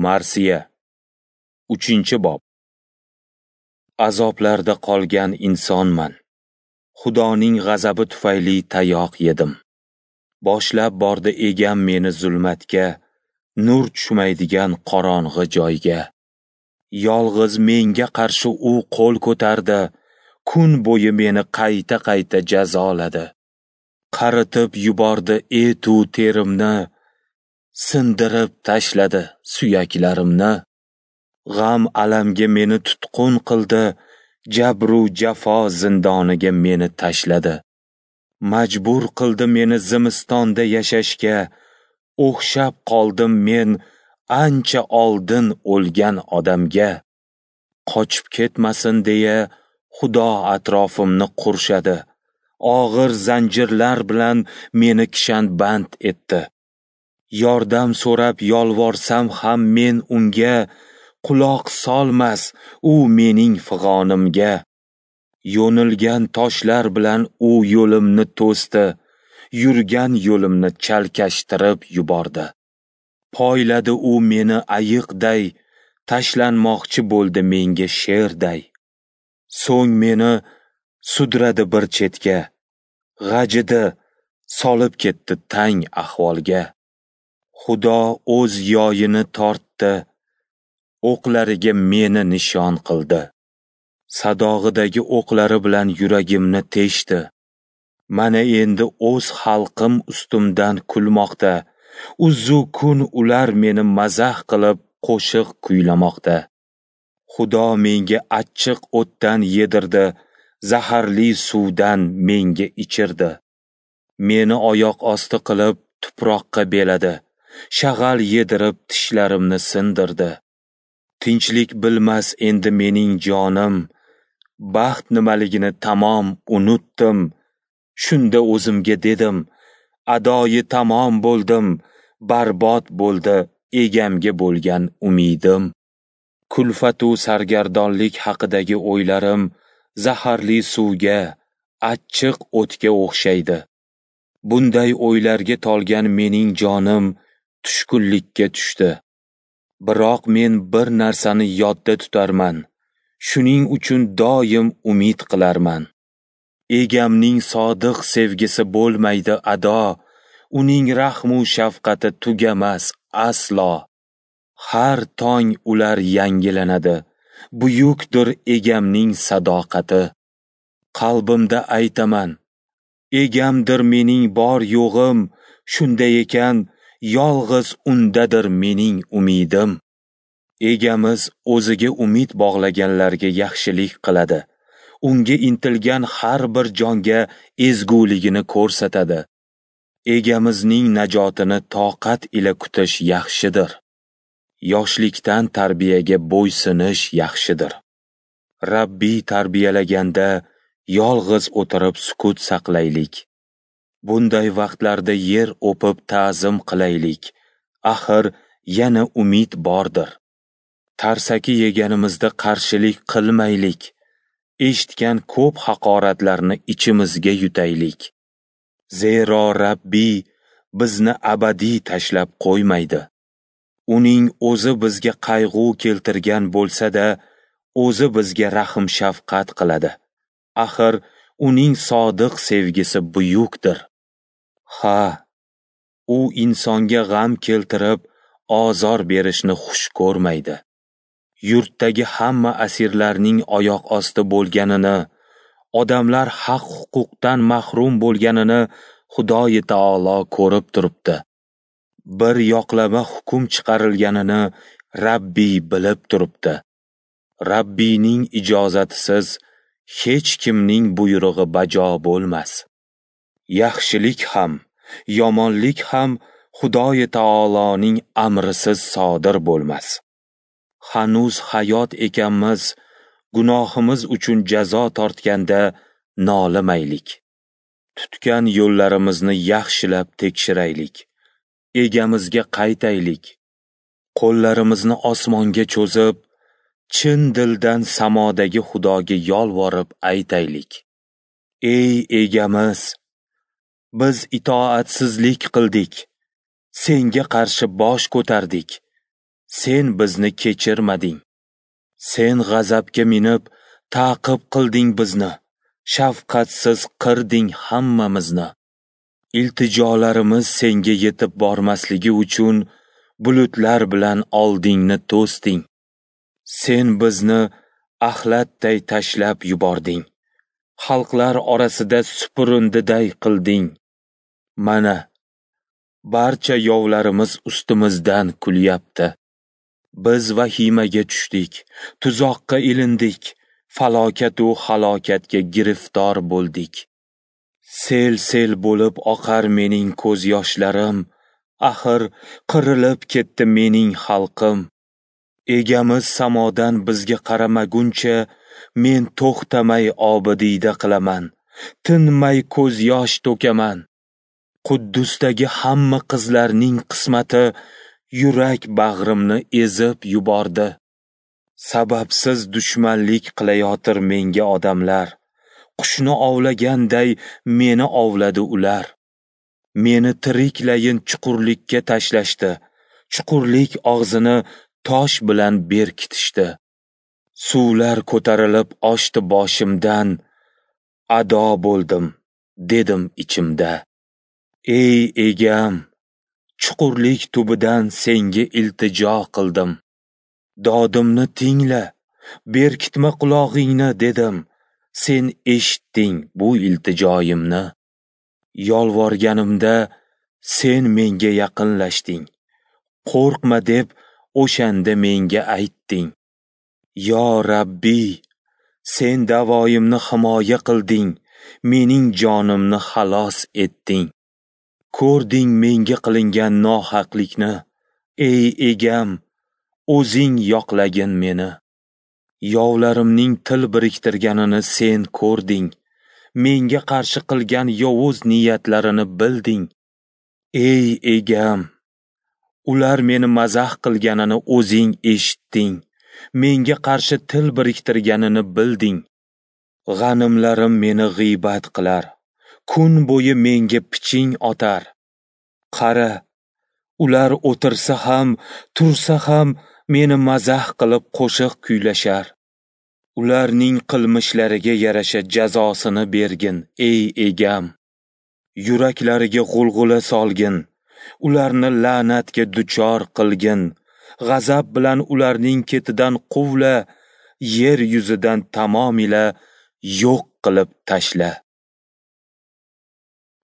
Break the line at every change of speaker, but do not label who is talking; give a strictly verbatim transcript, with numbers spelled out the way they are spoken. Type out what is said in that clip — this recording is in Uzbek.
Marsiya, uchinchi bob. Azoblarda qolgan insonman. Xudoning g'azabi tufayli tayoq yedim. Boshlab bordi egam meni zulmatga, nur tushmaydigan qorong'i joyga. Yolg'iz menga qarshi u qo'l ko'tardi, kun bo'yi meni qayta-qayta jazoladi. Qaritib yubordi etu terimni, sindirib tashladi suyaklarimni. G'am alamga meni tutqun qildi, jabru jafo zindoniga meni tashladi. Majbur qildi meni zimistonda yashashga, o'xshab qoldim men ancha oldin o'lgan odamga. Qochib ketmasin deya Xudo atrofimni qurshadi, og'ir zanjirlar bilan meni kishanband etdi. Yordam so'rab yolvorsam ham men unga, quloq solmas u mening fig'onimga. Yo'nilgan toshlar bilan u yo'limni to'sdi, yurgan yo'limni chalkashtirib yubordi. Poyladi u meni ayiqday, tashlanmoqchi bo'ldi menga sherday. So'ng meni sudradi bir chetga, g'ajidi, solib ketdi tang ahvolga. Xudo o'z yoyini tortdi, o'qlariga meni nishon qildi. Sadog'idagi o'qlari bilan yuragimni teshdi. Mana endi o'z xalqim ustimdan kulmoqda. Uzu kun ular meni mazax qilib qo'shiq kuylamoqda. Xudo menga achchiq o'tdan yedirdi, zaharli suvdan menga ichirdi. Meni oyoq osti qilib tuproqqa beladi, shag'al yedirib tishlarimni sindirdi. Tinchlik bilmas endi mening jonim, baxt nimaligini tamom unutdim. Shunda o'zimga dedim, adoyi tamom bo'ldim, barbod bo'ldi egamga bo'lgan umidim. Kulfatu sargardonlik haqidagi o'ylarim zaharli suvga, achchiq o'tga o'xshaydi. Bunday o'ylarga tolgan mening jonim tushkunlikka tushdi. Biroq men bir narsani yodda tutarman, shuning uchun doim umid qilarman. Egamning sodiq sevgisi bo'lmaydi ado, uning rahmu shafqati tugamas aslo. Har tong ular yangilanadi, buyukdir egamning sadoqati. Qalbimda aytaman, egamdir mening bor yo'g'im, shunday ekan, yolg'iz undadir mening umidim. Egamiz o'ziga umid bog'laganlarga yaxshilik qiladi, unga intilgan har bir jonga ezguligini ko'rsatadi. Egamizning najotini toqat ila kutish yaxshidir. Yoshlikdan tarbiyaga bo'ysinish yaxshidir. Rabbiy tarbiyalaganda yolg'iz o'tirib sukut saqlaylik. Bunday vaqtlarda yer o'pib ta'zim qilaylik. Axir yana umid bordir. Tarsaki yeganimizda qarshilik qilmaylik. Eshitgan ko'p haqoratlarni ichimizga yutaylik. Zero Rabbiy bizni abadiy tashlab qo'ymaydi. Uning o'zi bizga qayg'u keltirgan bo'lsa-da, o'zi bizga rahm shafqat qiladi. Axir uning sodiq sevgisi buyukdir. Ha, u insonga g'am keltirib, ozor berishni xush ko'rmaydi. Yurtdagi hamma asirlarning oyoq osti bo'lganini, odamlar haq-huquqdan mahrum bo'lganini Xudoyi taolo ko'rib turibdi. Bir yoqlama hukm chiqarilganini Rabbiy bilib turibdi. Rabbiyning ijozatisiz hech kimning buyrug'i bajo bo'lmas. Yaxshilik ham, yomonlik ham Xudoyi taoloning amrisiz sodir bo'lmas. Hanuz hayot ekanmiz, gunohimiz uchun jazo tortganda nolimaylik. Tutgan yo'llarimizni yaxshilab tekshiraylik. Egamizga qaytaylik. Qo'llarimizni osmonga cho'zib, chin dildan samodagi Xudoga yolvorib aytaylik. Ey egamiz, biz itoatsizlik qildik, senga qarshi bosh ko'tardik. Sen bizni kechirmading. Sen g'azabga minib, ta'qib qilding bizni, shafqatsiz qirding hammamizni. Iltijolarimiz senga yetib bormasligi uchun bulutlar bilan oldingni to'sding. Sen bizni axlatday tashlab yubording. Xalqlar orasida supurundiday qilding. Mana, barcha yovlarimiz ustimizdan kulyapti. Biz vahimaga tushdik, tuzoqqa ilindik, falokat u halokatga giriftor bo'ldik. Sel-sel bo'lib oqar mening ko'z yoshlarim, axir qirilib ketdi mening xalqim. Egamiz samodan bizga qaramaguncha men to'xtamay obidiyda qilaman, tinmay ko'z yosh to'kaman. Quddusdagi hamma qizlarning qismati yurak bag'rimni ezib yubordi. Sababsiz dushmanlik qilayotir menga odamlar. Qushni ovlaganday meni ovladi ular. Meni tiriklayin chuqurlikka tashlashdi. Chuqurlik og'zini tosh bilan berkitishdi. Suvlar ko'tarilib oshdi boshimdan. Ado bo'ldim, dedim ichimda. Ey egam, chuqurlik tubidan senga iltijo qildim. Dodimni tingla, berkitma qulog'ingni, dedim. Sen eshitding bu iltijoyimni. Yolvorganimda sen menga yaqinlashding. Qo'rqma deb o'shanda menga aytding. Yo Rabbi, sen da'voyimni himoya qilding, mening jonimni xalos etding. Ko'rding menga qilingan nohaqlikni, ey egam, o'zing yoqlagin meni. Yovlarimning til biriktirganini sen ko'rding, menga qarshi qilgan yovuz niyatlarini bilding. Ey egam, ular meni mazax qilganini o'zing eshitding, menga qarshi til biriktirganini bilding. G'animlarim meni g'iybat qilar, kun bo'yi menga piching otar. Qara, ular o'tirsa ham, tursa ham meni mazax qilib qo'shiq kuylashar. Ularning qilmishlariga yarasha jazosini bergin, ey egam. Yuraklariga g'ulg'ula solgin, ularni la'natga duchor qilgin. G'azab bilan ularning ketidan quvla, yer yuzidan tamomila yo'q qilib tashla.